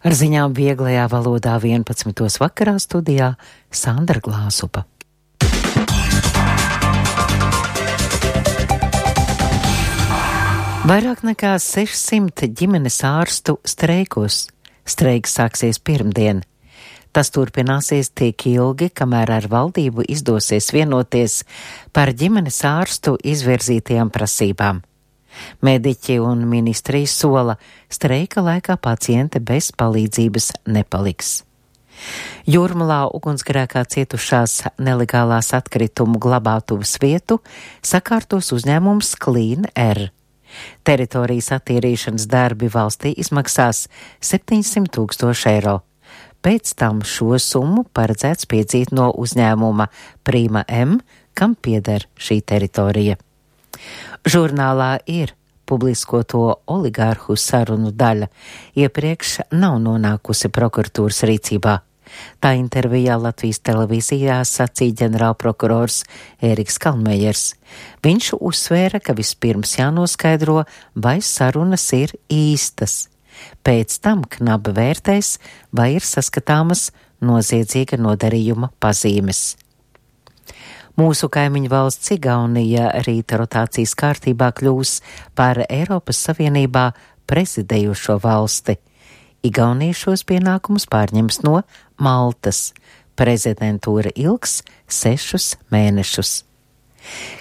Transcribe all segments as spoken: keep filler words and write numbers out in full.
Ar ziņām vieglajā valodā vienpadsmitos vakarā studijā Sandra Glāzupa. Vairāk nekā sešsimt ģimenes ārstu streikos. Streiks sāksies pirmdien. Tas turpināsies tik ilgi, kamēr ar valdību izdosies vienoties par ģimenes ārstu izvirzītajām prasībām. Mediķi un ministrija sola, streika laikā paciente bez palīdzības nepaliks. Jūrmalā ugunsgrēkā cietušās nelegālās atkritumu glabātuves vietu sakārtos uzņēmums Clean Air. Teritorijas attīrīšanas darbi valstī izmaksās septiņsimt tūkstoši eiro. Pēc tam šo summu paredzēts piedzīt no uzņēmuma Prima M, kam pieder šī teritorija. Žurnālā Ir publiskoto oligārhu sarunu daļa iepriekš nav nonākusi prokuratūras rīcībā. Tā intervijā Latvijas televīzijā sacīja ģenerālprokurors Ēriks Kalmejers. Viņš uzsvēra, ka vispirms jānoskaidro, vai sarunas ir īstas. Pēc tam knabi vērtēs, vai ir saskatāmas noziedzīga nodarījuma pazīmes. Mūsu kaimiņu valsts Igaunija rīta rotācijas kārtībā kļūs par Eiropas Savienībā prezidējošo valsti. Igaunija šos pienākumus pārņems no Maltas. Prezidentūra ilgs sešus mēnešus.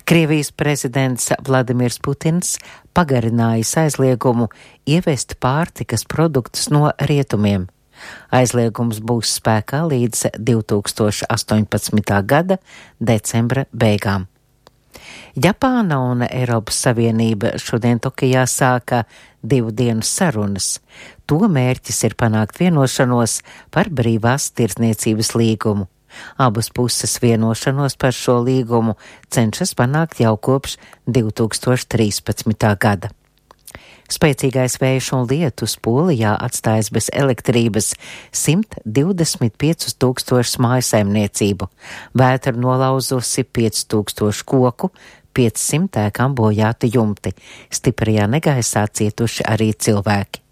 Krievijas prezidents Vladimirs Putins pagarinājis aizliegumu ievest pārtikas produktus no rietumiem. Aizliegums būs spēkā līdz divi tūkstoši astoņpadsmitā gada decembra beigām. Japāna un Eiropas Savienība šodien Tokijā sāka divu dienu sarunas. To mērķis ir panākt vienošanos par brīvās tirdzniecības līgumu. Abas puses vienošanos par šo līgumu cenšas panākt jau kopš divi tūkstoši trīspadsmitā gada. Spēcīgais vējš un lietus Polijā atstājas bez elektrības simt divdesmit piecus tūkstošus mājasaimniecību, vētra nolauzusi pieci tūkstoši koku, piecsimt ēkām bojāti jumti, stiprajā negaisā cietuši arī cilvēki.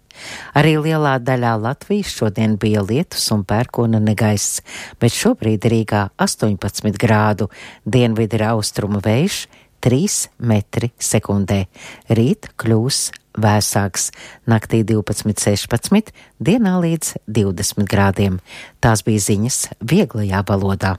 Arī lielā daļā Latvijas šodien bija lietus un pērkona negaiss, bet šobrīd Rīgā astoņpadsmit grādu, dienvidi ir austrumu vējš trīs metri sekundē. Rīt kļūs vēsāks, naktī divpadsmit sešpadsmit, dienā līdz divdesmit grādiem. Tās bija ziņas vieglajā valodā.